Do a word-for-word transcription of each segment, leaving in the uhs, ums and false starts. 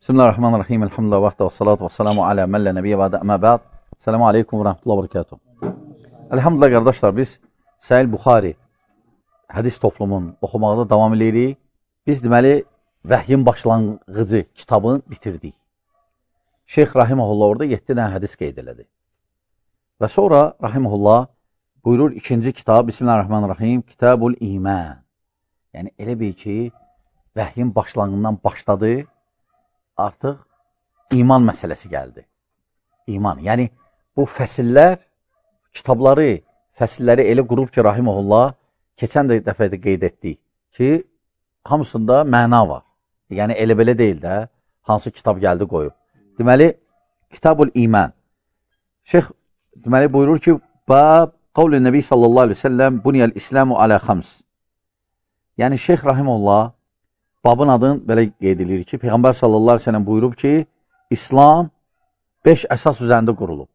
Bismillahirrahmanirrahim. Elhamdülillah və salatu və salamu alə məllə nəbiyyə və əmə bəd. Selamu aleykum və rəhmətullah və barakatuhu. Elhamdülillah qardaşlar, biz Səhih Buxari hədis toplumun oxumaqda davam edirik. Biz deməli vəhyin başlanğıcı kitabını bitirdik. Şeyx Rahiməhullah orada yeddi dənə hədis qeyd elədi. Və sonra Rahiməhullah buyurur ikinci kitab, Bismillahirrahmanirrahim, Kitabul İman. Yəni elə bil ki, vəhyin başlanğından başladı, artıq iman məsələsi gəldi. İman, yəni bu fəsillər, kitabları, fəsilləri elə qurub ki, Rahiməhullah, keçən də dəfədə qeyd etdik ki, hamısında məna var. Yəni elə belə deyil də, hansı kitab gəldi qoyub. Deməli, Kitabul İman. Şeyx deməli buyurur ki, Bab qavli Nəbi sallallahu aleyhi ve sellem buniyəl İslamu alə xams. Yəni Şeyx Rahiməhullah babın adını belə qeyd edilir ki, Peyğəmbər sallallahu aleyhi ve sellem buyurub ki, İslam beş əsas üzərində qurulub.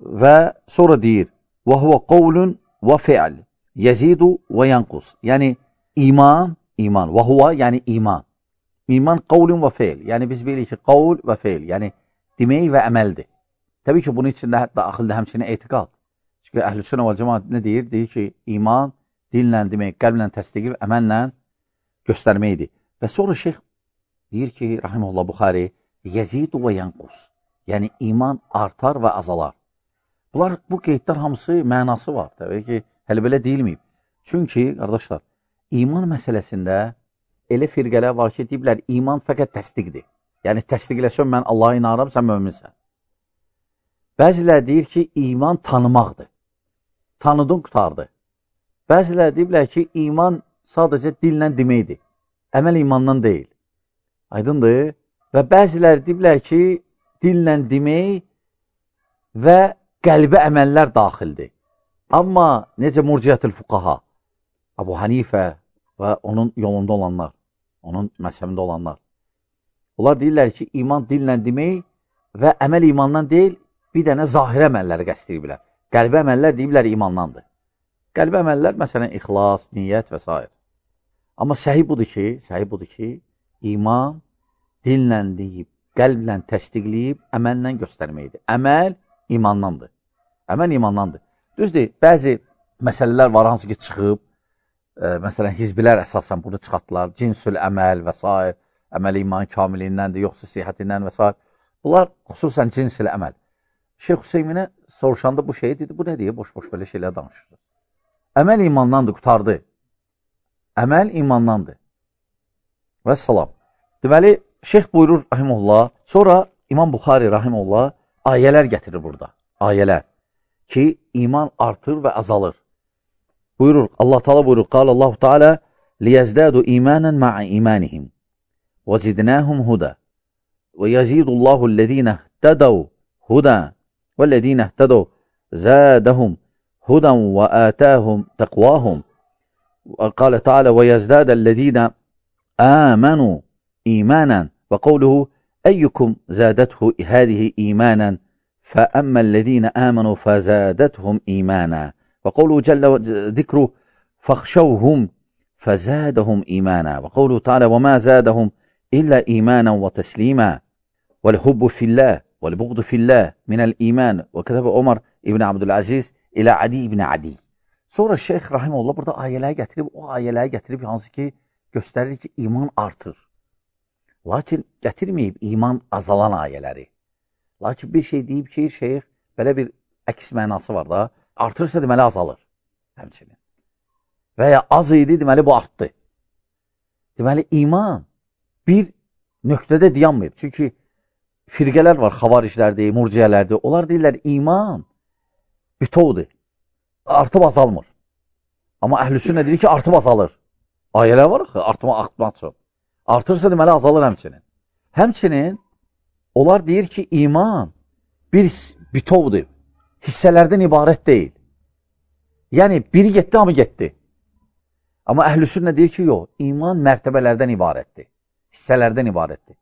Və sonra deyir, وَهُوَ قَوْلٌ وَفِعْلٌ يَزِيدُ وَيَنْقُسُ. Yəni iman, iman, وَهُوَ yəni iman. İman qavlun və feil. Yəni biz bilirik ki, qavl və feil, yəni demək və əməldir. Təbii ki, bunun içində daxildə həmçinin etiqad. Çünki Əhlüsünnə vəl Cemaat nə deyir? Deyir ki, iman dillə demək, qəlblə təsdiq, əməllə göstərməkdir. Və sonra şeyx deyir ki, Rahiməhullah Buxari, Yezidu və Yanqus. Yəni iman artar və azalar. Bunlar, bu qeydlər hamısı mənası var. Təbii ki, hələ belə deyilməyib. Çünki, qardaşlar, iman məsələsində elə firqələr var ki, deyiblər, iman fəqət təsdiqdir. Yəni, təsdiqləsən, mən Allaha inanıram, sən möminsən. Bəzilər deyir ki, iman tanımaqdır. Tanıdın, qutardı. Bəzilər deyiblər ki, iman sadəcə dillə deməkdir. Əməl imandan deyil. Aydındır. Və bəzilər deyiblər ki, dillə demək və qəlbə əməllər daxildir. Amma necə murciyyətül fuqaha, Abu Hanifə və onun yolunda olanlar, onun məzhəbində olanlar. Onlar deyirlər ki, iman dillə demək və əməl imandan deyil, bir dənə zahir əməlləri qəsd edirlər. Qəlbə əməllər deyiblər imandandır. Qəlbə əməllər, məsələn, ixlas, niyyət və s. Amma səhih budur ki, səhih budur ki, iman dillə deyib, qəlblə təsdiqləyib, əməllə göstərməkdir. Əməl imandandır. Əməl imandandır. Düzdür, bəzi məsələlər var, hansı ki, çıxıb, e, məsələn, hizbilər əsasən bunu çıxartdılar, cinsül əməl və s. Əməl iman kamilindəndir, yoxsa sihətindən və s. Bunlar xüsusən cinsül əməl. Şeyx Hüseyminə soruşanda bu şey dedi, bu nə deyə, boş-boş belə şeylər danışır. Əməl imandandır, qutardı. Əməl imandandır. Və salam. Deməli, şeyx buyurur, Rahiməhullah, sonra İmam Buxari, Rahiməhullah, ayələr gətirir burada. Ayələr ki, iman artır və azalır. Buyurur, Allah Teala buyurur, Qal Allahu Teala, لِيَزْدَادُ إِيمَانًا مَعَ إِيمَانِهِمْ وَزِدْنَاهُمْ هُدًى وَيَزِيدُ اللَّهُ الَّذِينَ اهْتَدَوْا هُدًى وَالَّذِينَ اهْتَدَوْا زَادَهُمْ هُدًى وَآتَاهُمْ تَقْوَاهُمْ وقال تعالى ويزداد الذين آمنوا إيمانا وقوله أيكم زادته هذه إيمانا فأما الذين آمنوا فزادتهم إيمانا وقوله جل ذكره فاخشوهم فزادهم إيمانا وقوله تعالى وما زادهم إلا إيمانا وتسليما والحب في الله والبغض في الله من الإيمان وكتب عمر ابن عبد العزيز إلى عدي ابن عدي. Sonra Şeyx Rahiməhullah burada ayələri gətirib, o ayələri gətirib, hansı ki, göstərir ki, iman artır. Lakin gətirməyib iman azalan ayələri. Lakin bir şey deyib ki, Şeyx, belə bir əks mənası var da, artırsa deməli azalır, həmçinin. Və ya az idi, deməli bu artdı. Deməli, iman bir nöqtədə dayanmayıb. Çünki firqələr var, xavariclərdir, murciyələrdir. Onlar deyirlər, iman bütovdur. Artıb azalmır. Amma Əhlüsünnə deyir ki, artıb azalır. Ayələr var axı, artma, artma çox. Artırsa deməli azalır həmçinin. Həmçinin, onlar deyir ki, iman bir bütovdur. Hissələrdən ibarət deyil. Yəni, biri getdi, hamı getdi. Amma Əhlüsünnə deyir ki, yox, iman mərtəbələrdən ibarətdir. Hissələrdən ibarətdir.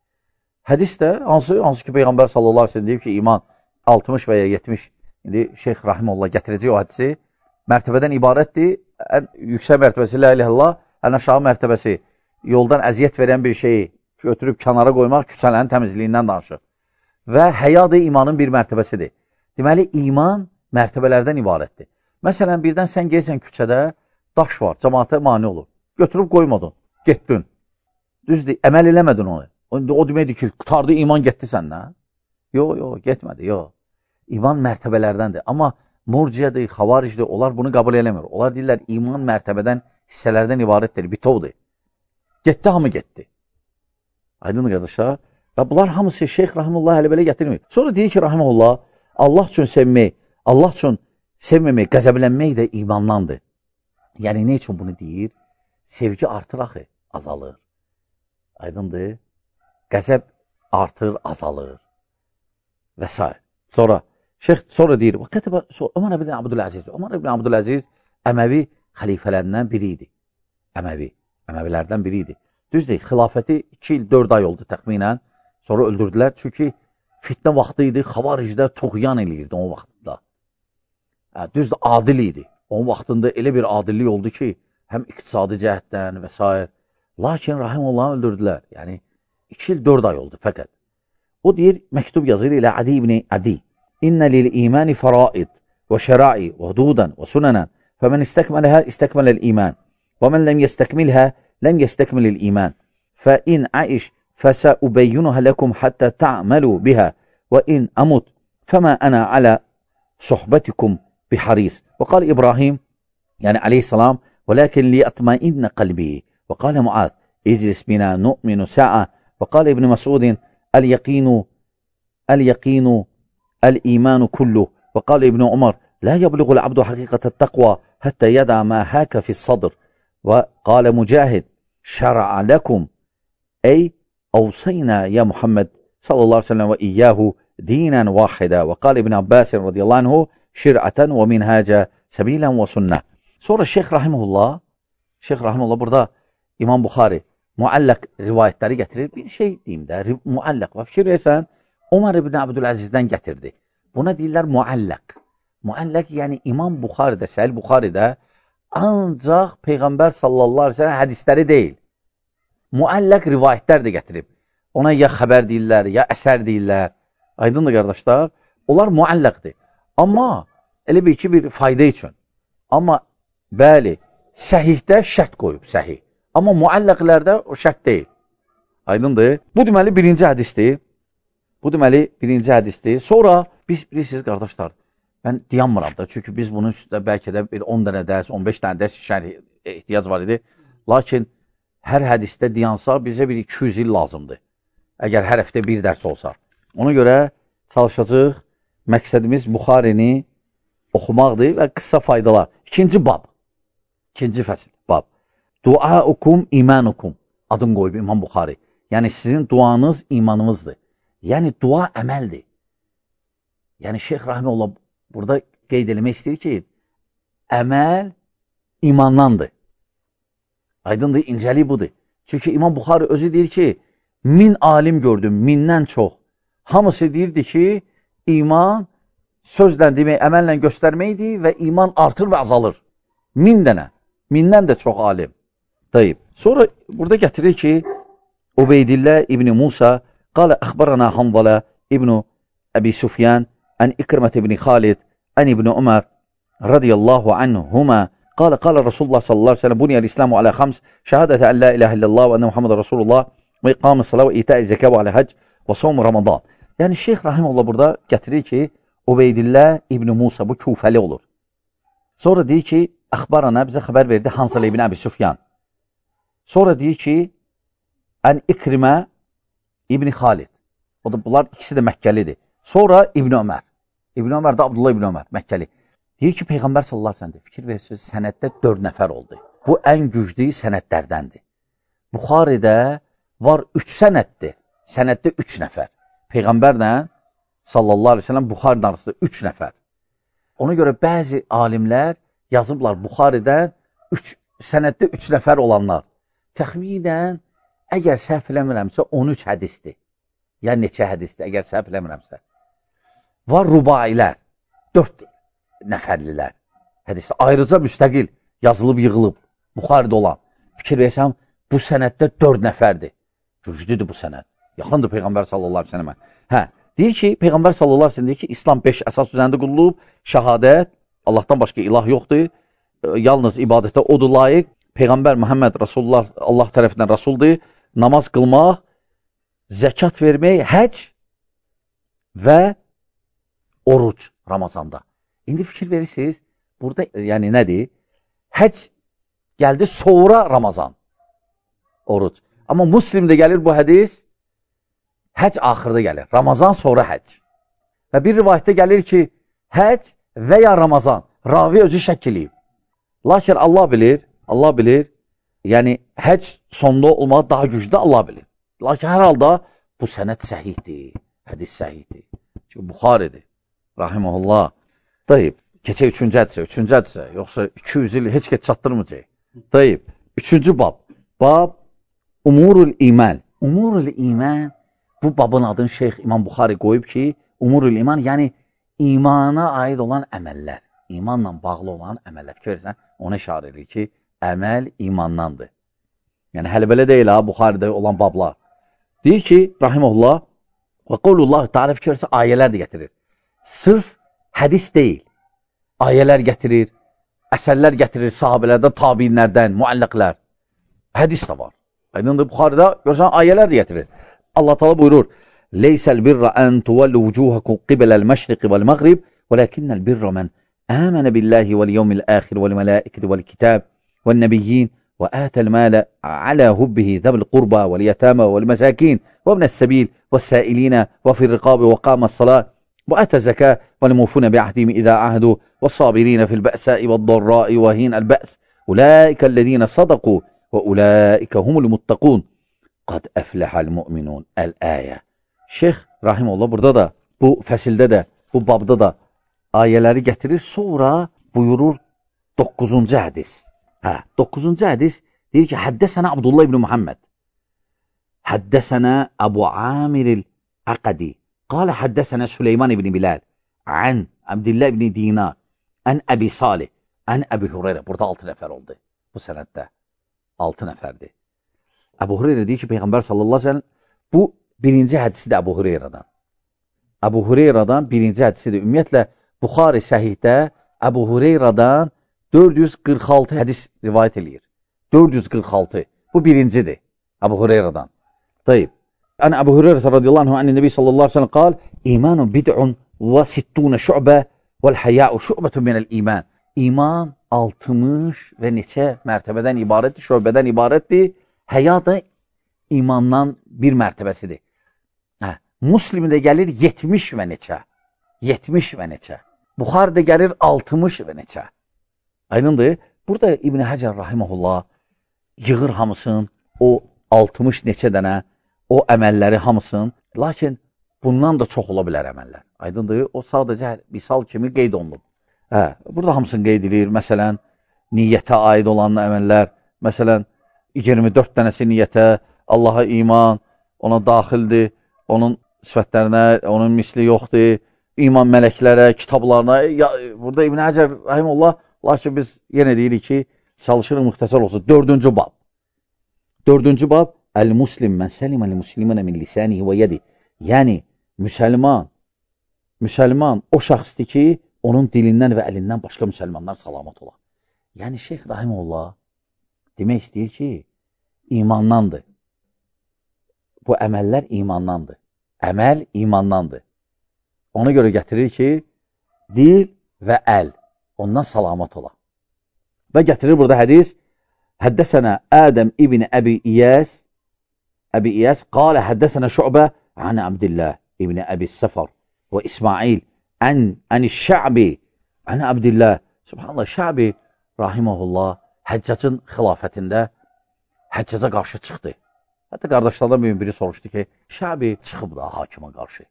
Hədis də, hansı, hansı ki, Peyğəmbər sallallahu aleyhi ve sellem deyib ki, iman altmış və ya yetmiş, indi Şeyx Rahiməhullah gətirəcək o hədisi, mərtəbədən ibarətdir, ən yüksək mərtəbəsi, la ilahe illallah, ən aşağı mərtəbəsi, yoldan əziyyət verən bir şeyi götürüb kənara qoymaq küçələrin təmizliyindən danışır. Və həya da imanın bir mərtəbəsidir. Deməli, iman mərtəbələrdən ibarətdir. Məsələn, birdən sən gəlsən küçədə, daş var, cəmaata mane olur. Götürüb qoymadın, getdin. Düzdür, əməl eləmədin onu. O deməkdir ki, qutardı, iman getdi səndən. Yox, yox, getmədi, yox. İman mərtəbələrdəndir. Amma murciədir, xavaricdir, onlar bunu qəbul eləmir. Onlar deyirlər, iman mərtəbədən, hissələrdən ibarətdir, bitovdur. Getdi, hamı getdi. Aydın qardaşlar. Və bunlar hamısı Şeyx Rahimullah hələ belə gətirmir. Sonra deyir ki, Rahimullah, Allah üçün sevmək, Allah üçün sevməmək, qəzəblənmək də imandandır. Yəni, nə üçün bunu deyir? Sevgi artır axı, azalır. Aydındır. Qəzəb artır, azalır. Və s. Sonra, şeyx sonra deyir, Ömər ibn Abdüləziz, Ömər ibn Abdüləziz Əməvi xəlifələrindən biri idi. Əməvi, Əməvilərdən biri idi. Düzdür, xilafəti iki il, dörd ay oldu təxminən. Sonra öldürdülər. Çünki fitnə vaxtı idi, xavaricdə tuğyan eləyirdi o vaxtında. Hə, düzdür, adil idi. Onun vaxtında elə bir adillik oldu ki, həm iqtisadi cəhətdən və s. Lakin Rahimullahı öldürdülər. Yəni, iki il, dörd ay oldu fəqət. O deyir, məktub yazır ilə Adi ibn Adi. İnnə lil imani faraid və şərai və hududan və sunənən fəmən istəkmələhə istəkmələl iman və mən ləm yestəkmilhə ləm yestəkmilil iman fə in aiş فسأبينها لكم حتى تعملوا بها وإن أمت فما أنا على صحبتكم بحريص. وقال إبراهيم يعني عليه السلام ولكن ليطمئن قلبي. وقال معاذ اجلس بنا نؤمن ساعة. وقال ابن مسعود اليقين اليقين الإيمان كله. وقال ابن عمر لا يبلغ العبد حقيقة التقوى حتى يدع ما هاك في الصدر. وقال مجاهد شرع لكم أي أوصينا يا محمد صلى الله عليه وسلم وإياه دينا واحدا. وقال ابن عباس رضي الله عنه شرعة ومنهاجا سبيلا وسنة. Sonra Şeyx Rahimullah, Şeyx Rahimullah burada İmam Buxari muallaq rivayətləri gətirir. Bir şey deyim də, muallaq. Və fikir versən, Ömər ibn Abdüləzizdən gətirdi. Buna deyirlər muallaq. Muallaq yəni İmam Buxaridə, Səhih Buxaridə ancaq Peyğəmbər sallallahu aleyhi ve sellem hədisləri deyil. Muallaq rivayətlər də gətirib. Ona ya xəbər deyirlər, ya əsər deyirlər. Aydındır qardaşlar. Onlar muallaqdır. Amma elə bir ki, bir fayda üçün. Amma bəli, səhihdə şərt qoyub, səhih. Amma muallaqlərdə o şərt deyil. Aydındır. Bu deməli birinci hədisdir. Bu deməli birinci hədisdir. Sonra biz bilirsiniz qardaşlar, mən dayanmıram da. Çünki biz bunun üstündə bəlkə də bir on dənə dərs, on beş dənə dərs şərh ehtiyac var idi. Lakin hər hədisdə dayansa bizə bir iki yüz il lazımdır. Əgər hər həftə bir dərs olsa. Ona görə çalışacaq. Məqsədimiz Buxarini oxumaqdır və qısa faydalar. İkinci bab. İkinci fəsil. Bab. Duaukum imanukum. Adını qoyub İmam Buxari. Yəni sizin duanız imanınızdır. Yəni dua əməldir. Yəni Şeyx Rahimullah burada qeyd eləmək istəyir ki, əməl imandandır. Aydındır, incəlik budur. Çünki İmam Buxari özü deyir ki, min alim gördüm, mindən çox. Hamısı deyirdi ki, iman sözlə demək, əməllə göstərməkdir və iman artır və azalır. Min dənə, mindən də çox alim. Deyib. Sonra burada gətirir ki, Ubeydillah İbni Musa qalə əxbarana Hanzala İbni Əbi Sufyan ən İkrimət İbni Xalid ən İbni Ömər radiyallahu anhuma قال قال رسول الله صلى الله عليه وسلم بني الإسلام على خمس شهادة أن لا إله إلا الله وأن محمد رسول الله وإقام الصلاة وإيتاء الزكاة وعلى حج وصوم رمضان. Yəni Şeyx Rahimullah burada gətirir ki, Ubeydillah İbni Musa bu Kufəli olur. Sonra deyir ki, əxbarana bizə xəbər verdi Hanzala İbni Əbi Sufyan. Sonra deyir ki, ən İkrimə İbni Xalid. O da bunlar ikisi də Məkkəlidir. Sonra İbni Ömər. İbni Ömər də Abdullah İbni Ömər, Məkkəli. Deyir ki, Peyğəmbər sallallahu aleyhi ve sellem fikir verirsiniz, sənəddə dörd nəfər oldu. Bu ən güclü sənədlərdəndir. Buxaridə var üç sənəddir. Sənəddə üç nəfər. Peyğəmbərlə sallallahu aleyhi ve sellem Buxarinin arasında üç nəfər. Ona görə bəzi alimlər yazıblar Buxaridən üç, sənəddə üç nəfər olanlar. Təxminən, əgər səhv eləmirəmsə on üç hədisdir. Ya neçə hədisdir, əgər səhv eləmirəmsə. Var rubailər, dörd nəfərlilər. Hədisdə ayrıca müstəqil yazılıb, yığılıb, Buxaridə olan. Fikir versəm, bu sənəddə dörd nəfərdir. Güclüdür bu sənəd. Yaxındır Peyğəmbər sallallahu aleyhi ve səlləmə. Hə, deyir ki, Peyğəmbər sallallahu aleyhi ve səlləm deyir ki, İslam beş əsas üzərində qurulub, şəhadət, Allahdan başqa ilah yoxdur, yalnız ibadətə odur layiq, Peyğəmbər Muhammed Rasulullah Allah tərəfindən Rasuldur, namaz qılmaq, zəkat vermək, həc və oruc Ramazanda. İndi fikir verirsiniz, burada yəni nədir? Həc gəldi sonra Ramazan, oruc. Amma Müslimdə gəlir bu hədis, həc axırda gəlir, Ramazan sonra həc. Və bir rivayətdə gəlir ki, həc və ya Ramazan, ravi özü şəkk eləyib. Lakin Allah bilir, Allah bilir, yəni həc sonda olmağı daha güclü Allah bilir. Lakin hər halda bu sənəd səhihdir, hədis səhihdir. Çünki Buxaridir, rahiməhullah. Dayıb, keçək üçüncü hədisə, üçüncü hədisə, yoxsa iki yüz il heç keç çatdırmayacaq. Dayıb, üçüncü bab, bab Umurul İman. Umurul İman, bu babın adını Şeyx İmam Buxari qoyub ki, Umurul İman, yəni imana aid olan əməllər, imanla bağlı olan əməllər. Fikir versən, ona işarə edir ki, əməl imandandır. Yəni, hələ belə deyil ha, Buxaridə olan bablar. Deyir ki, rahiməhullah, və qavlullah, tarif fikir versən, ayələr də gətirir. Sırf hədis deyil, ayələr gətirir, əsərlər gətirir sahabələrdən, tabinlərdən, müəlliqlər. Hədis də var. Aydındır, Buxaridə görsən, ayələr də gətirir. Allah Teala buyurur, Leysəl birra ən tuvallu vucuhakum qibeləl məşriqi vəl məğrib, vələkinnəl birra mən əmənə billahi vəl yevmil əxir vəl mələikəti vəl kitab vəl nəbiyyin və ətəl mələ alə hubbihi zəbil qurba vəl yətəmə vəl məsəkin və ibnəs səbil və səilinə və fir riqabi və qaməs salat və ətə zəkə vəl mufuna bi'ahdimi idə ahdu və sabirinə fil bə'səi və darrai və hin əl-bə's ulaikə ləzina sadaku və ulaikə humul muttaqun qad əfləhəl müminun əl-əyə. Şeyx Rahimullah burada da, bu fəsildə də, bu babda da ayələri gətirir, sonra buyurur doqquzuncu hədis. Hə, doqquzuncu hədis deyir ki, həddəsənə Abdullah ibn Muhammed, həddəsənə Əbu Amiril Əqədi, qalə həddəsənə Süleyman ibn Bilal, ən Abdillah ibn Dinar, ən Əbi Salih, ən Əbi Hureyre. Burada altı nəfər oldu bu sənəddə. Altı nəfərdir. Əbu Hureyre deyir ki, Peyğəmbər sallallahu aleyhi ve sellem, bu birinci hədisi də Əbu Hureyre'dan. Əbu Hureyre'dan birinci hədisidir. Ümumiyyətlə, Buxari səhihdə Əbu Hureyre'dan dörd yüz qırx altı hədis rivayət eləyir. dörd yüz qırx altı. Bu birincidir Əbu Hureyre'dan. Tayyib. Ən Əbu Hureyre radiyallahu anh, ən Nəbi sallallahu aleyhi ve sellem qal, İmanun bid'un və sittuna şü'bə vəl həya'u şü'bətun minəl iman. İman altmış və neçə mərtəbədən ibarətdir, şöbədən ibarətdir. Həya da imandan bir mərtəbəsidir. Hə, Müslimdə gəlir yetmiş və neçə. yetmiş və neçə. Buxaridə gəlir altmış və neçə. Aydındır. Burada İbn Həcər rahiməhullah yığır hamısın, o altmış neçə dənə, o əməlləri hamısın. Lakin bundan da çox ola bilər əməllər. Aydındır. O sadəcə misal kimi qeyd olunub. Hə, burada hamısını qeyd edilir. Məsələn, niyyətə aid olan əməllər, məsələn, iyirmi dörd dənəsi niyyətə, Allaha iman, ona daxildir, onun sifətlərinə, onun misli yoxdur, iman mələklərə, kitablarına. Ya, burada İbn Həcər rahimehullah, lakin biz yenə deyirik ki, çalışırıq müxtəsər olsun. Dördüncü bab. Dördüncü bab, Əl-Muslim mən səliməl musliminə min lisanihi və yedi. Yəni, müsəlman, müsəlman o şəxsdir ki, onun dilindən və əlindən başqa müsəlmanlar salamat olar. Yəni, Şeyx rahimehullah demək istəyir ki, imandandır. Bu əməllər imandandır. Əməl imandandır. Ona görə gətirir ki, dil və əl ondan salamat ola. Və gətirir burada hədis, həddəsənə Ədəm ibn Əbi İyəs, Əbi İyəs, qalə həddəsənə Şü'bə, ən Abdillah ibn Əbi Səfər və İsmail, ən əni Şə'bi, ən Abdillah. Subhanallah, Şə'bi, rahiməhullah, Həccacın xilafətində Həccaca qarşı çıxdı. Hətta qardaşlardan bir biri soruşdu ki, Şə'bi çıxıb da hakimə qarşı.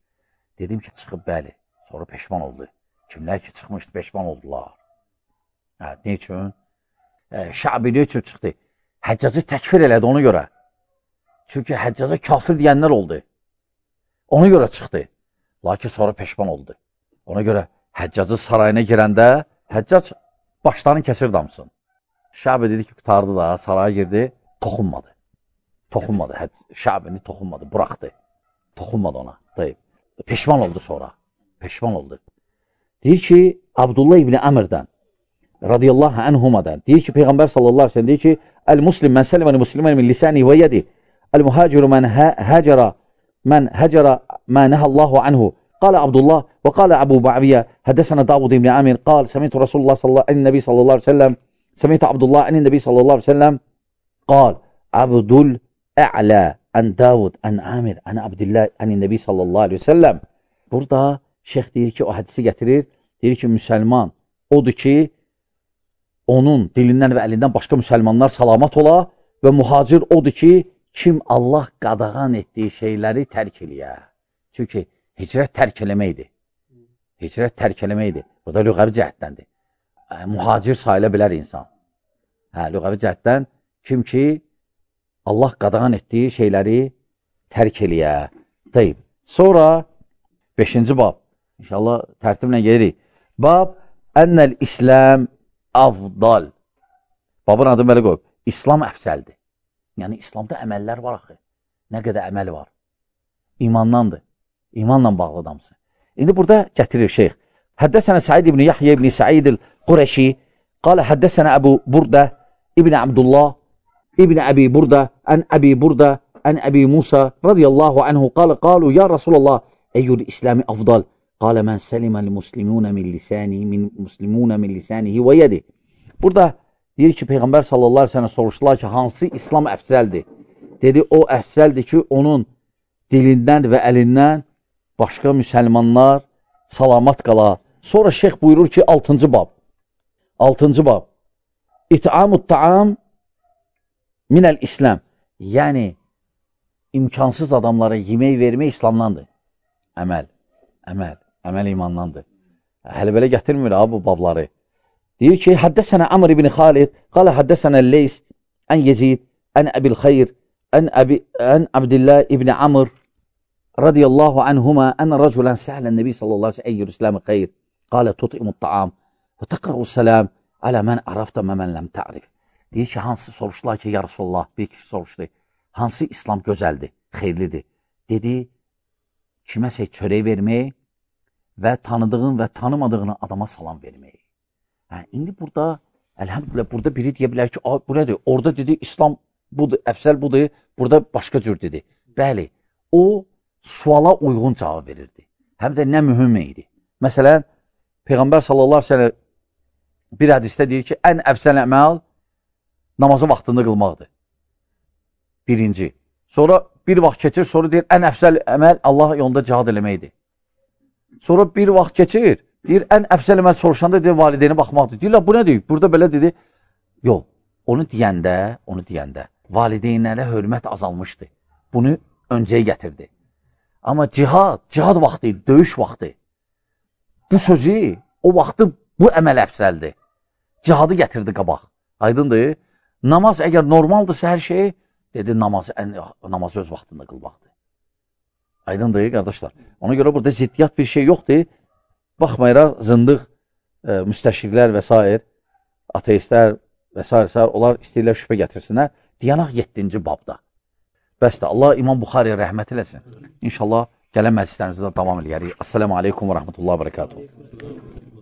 Dedim ki, çıxıb bəli. Sonra peşman oldu. Kimlər ki, çıxmışdı, peşman oldular. Hə, ne üçün? E, Şə'bi ne üçün çıxdı? Həccacı təkfir elədi ona görə. Çünki Həccaca kafir deyənlər oldu. Ona görə çıxdı. Lakin sonra peşman oldu. Ona görə Həccacı sarayına girəndə Həccac başlarını kəsir damsın. Şə'bi dedi ki, qutardı da, saraya girdi, toxunmadı. toxunmadı, Şəbini toxunmadı, buraxdı. Toxunmadı ona. Deyib. Peşman oldu sonra. Peşman oldu. Deyir ki, Abdullah ibn Əmirdən, radiyallahu anhumadan, deyir ki, Peyğəmbər sallallahu aleyhi ve sellem deyir ki, el-muslim mən sələməni muslimən min lisani və yedi, el-muhaciru mən həcərə, mən həcərə mə nəhəllahu anhu. Qala Abdullah və qala Əbu Ba'viyyə, həddəsənə Davud ibn Əmir, qal, səmiyyətü Rasulullah sallallahu aleyhi ve sellem, səmiyyətü Abdullah ənin nəbi sallallahu aleyhi ve sellem, qal, Abdul ə'lə ən Davud, ən Əmir, ən Abdillah, ənin nəbi sallallahu aleyhi ve sellem. Burada şeyx deyir ki, o hədisi gətirir, deyir ki, müsəlman odur ki, onun dilindən və əlindən başqa müsəlmanlar salamat ola və mühacir odur ki, kim Allah qadağan etdiyi şeyləri tərk eləyə. Çünki hicrət tərk eləməkdir. Hicrət tərk eləməkdir. Burada lüğəvi cəhətdəndir. Mühacir sayıla bilər insan. Hə, lüğəvi cəhətdən kim ki, Allah qadağan etdiyi şeyləri tərk eləyə. Deyib. Sonra beşinci bab. İnşallah tərtiblə gelirik. Bab Ennel İslam afdal. Babın adı belə qoyub. İslam əfsəldir. Yəni, İslamda əməllər var axı. Nə qədər əməl var. İmandandır. İmanla bağlı adamsın. İndi burada gətirir şeyx. Həddəsənə Said ibn Yahya ibn Said el-Qureşi qalə həddəsənə Əbu Burdə ibn Abdullah ibn Əbi Burdə ən Əbi Burdə ən Əbi Musa radiyallahu anhu qalə qalu ya Rasulallah eyyul İslami afdal. Qalə mən səlimə l-muslimunə min lisanihi min muslimunə min lisanihi və yedi. Burada deyir ki, Peyğəmbər sallallahu aleyhi ve sellem soruşdular ki, hansı İslam əfsəldir? Dedi, o əfsəldir ki, onun dilindən və əlindən başqa müsəlmanlar salamat qala. Sonra şeyx buyurur ki, altıncı bab. altıncı bab. İt'amut ta'am minəl İslam. Yəni, imkansız adamlara yemək vermək İslamdandır. Əməl, əməl, əməl imandandır. Hələ belə gətirmir ha, bu babları. Deyir ki, həddəsənə Amr ibn Xalid, qalə həddəsənə Leys, ən Yezid, ən Əbil Xeyr, ən, Əbi, ən Abdillah ibn Amr, radiyallahu anhuma, ən rəculən səhələn Nəbi sallallahu aleyhi ve sellem, eyyir İslamı xeyr, qalə tut'imut ta'am, və təqrəu səlam, alə mən ərafda məmən ləm ta'rif. Deyir ki, hansı soruşdular ki, ya Rasulullah, bir kişi soruşdu, hansı İslam gözəldir, xeyirlidir? Dedi, kiməsə çörək vermək və tanıdığın və tanımadığını adama salam vermək. Hə, indi burada, əlhəmdülillah, burada biri deyə bilər ki, bu nədir? Orada dedi, İslam budur, əfsəl budur, burada başqa cür dedi. Bəli, o suala uyğun cavab verirdi. Həm də nə mühüm idi. Məsələn, Peyğəmbər sallallahu aleyhi ve sellem bir hədisdə deyir ki, ən əfsəl əməl namazı vaxtında qılmaqdır. Birinci. Sonra bir vaxt keçir, sonra deyir, ən əfsəl əməl Allah yolunda cihad eləməkdir. Sonra bir vaxt keçir, deyir, ən əfsəl əməl soruşanda deyir, valideyni baxmaqdır. Deyirlər, bu nə deyir? Burada belə dedi. Yox, onu deyəndə, onu deyəndə, valideynlərə hörmət azalmışdı. Bunu öncəyə gətirdi. Amma cihad, cihad vaxtı, döyüş vaxtı. Bu sözü, o vaxtı bu əməl əfsəldir. Cihadı gətirdi qabaq. Aydındır. Namaz əgər normaldırsa hər şey, dedi, namazı, ən, namazı öz vaxtında qılmaqdır. Aydındır, qardaşlar. Ona görə burada ziddiyyat bir şey yoxdur. Baxmayaraq, zındıq, e, müstəşriqlər və s. ateistlər və s. onlar istəyirlər şübhə gətirsinlər. Diyanaq yeddinci babda. Bəs də Allah İmam Buxariyə rəhmət eləsin. İnşallah gələn məclislərimizdə davam edərik. Assalamu aleykum və rəhmətullahi və bərəkatuhu.